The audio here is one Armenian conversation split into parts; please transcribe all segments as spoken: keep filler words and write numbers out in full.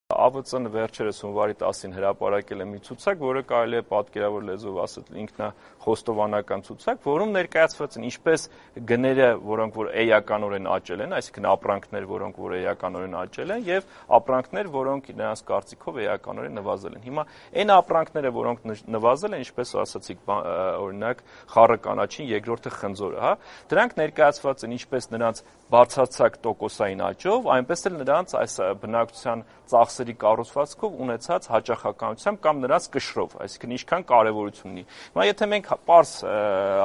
Ա V Ց-ն վերջերս հունվարի տասին հրապարակել է մի ցուցակ, որը կարելի է պատկերավոր լեզվով ասել ինքնախոստովանական ցուցակ, որում ներկայացված են ինչպես գները, որոնք որ էականորեն աճել են, այսինքն ապրանքներ, որոնք որ էականորեն աճել են, եւ ապրանքներ, որոնք նրանց կարծիքով էականորեն նվազել են։ Հիմա այն ապրանքները, որոնք նվազել են, ինչպես ասացիք, օրինակ խառը կանաչին, երկրորդը խնձորը, հա, դրանք ներկայացված են ինչպես նրանց բարձրացած տոկոսային աճով, այնպես էլ նրանց այս բնակչության ծախսերի կառուցվածքով ունեցած հաճախականությամբ կամ նրանց կշռով, այսինքն ինչքան կարևորություն ունի։ Հիմա եթե մենք պարզ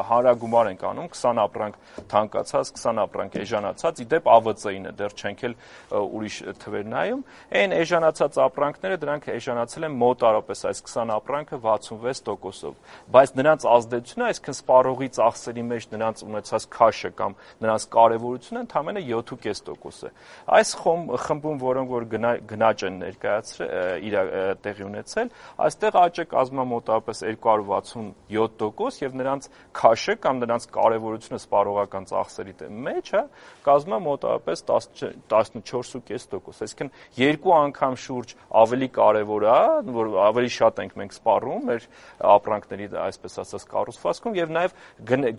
հանրագումար ենք անում, քսան ապրանք թանկացած, քսան ապրանք էժանացած, իդեպ Ա V Ց-ին է, դեռ չենք էլ ուրիշ թվեր նայում, այն էժանացած ապրանքները դրանք էժանացել են մոտարապես այս քսան ապրանքը վաթսունվեց տոկոսով, բայց նրանց ազդեցությունը, այսինքն սպառողի ծախսերի մեջ նրանց ունեցած քաշը կամ նրանց կարևորությունը ընդամենը յոթ ու կես տոկոս է։ Այս խմբում, որոնք որ գնաճ են ներկայացրել, իր տեղի ունեցել, այստեղ աճը կազմում է մոտավորապես երկու հարյուր վաթսունյոթ տոկոս եւ նրանց քաշը կամ նրանց կարևորությունը սպառողական ծախսերի մեջ, հա, կազմում է մոտավորապես տասնչորս ու կես տոկոս։ Այսինքն երկու անգամ շուրջ ավելի կարևոր է, որ ավելի շատ ենք մենք սպառում մեր ապրանքների, այսպես ասած, կառուցվածքում եւ նաեւ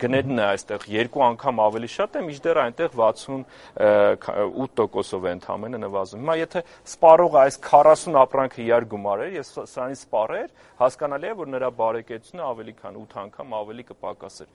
գներն է այստեղ երկու անգամ ավելի շատ է, մինչդեռ այնտեղ վաթսունութ տոկոսով է ընդամենը նվազում։ Հիմա եթե սպառողը այս քառասուն ապրանքը իրար գումարեր եւ սրանից սպառեր, հասկանալի է, որ նրա բարեկեցությունը ավելի քան ութ անգամ ավելի կպակասեր։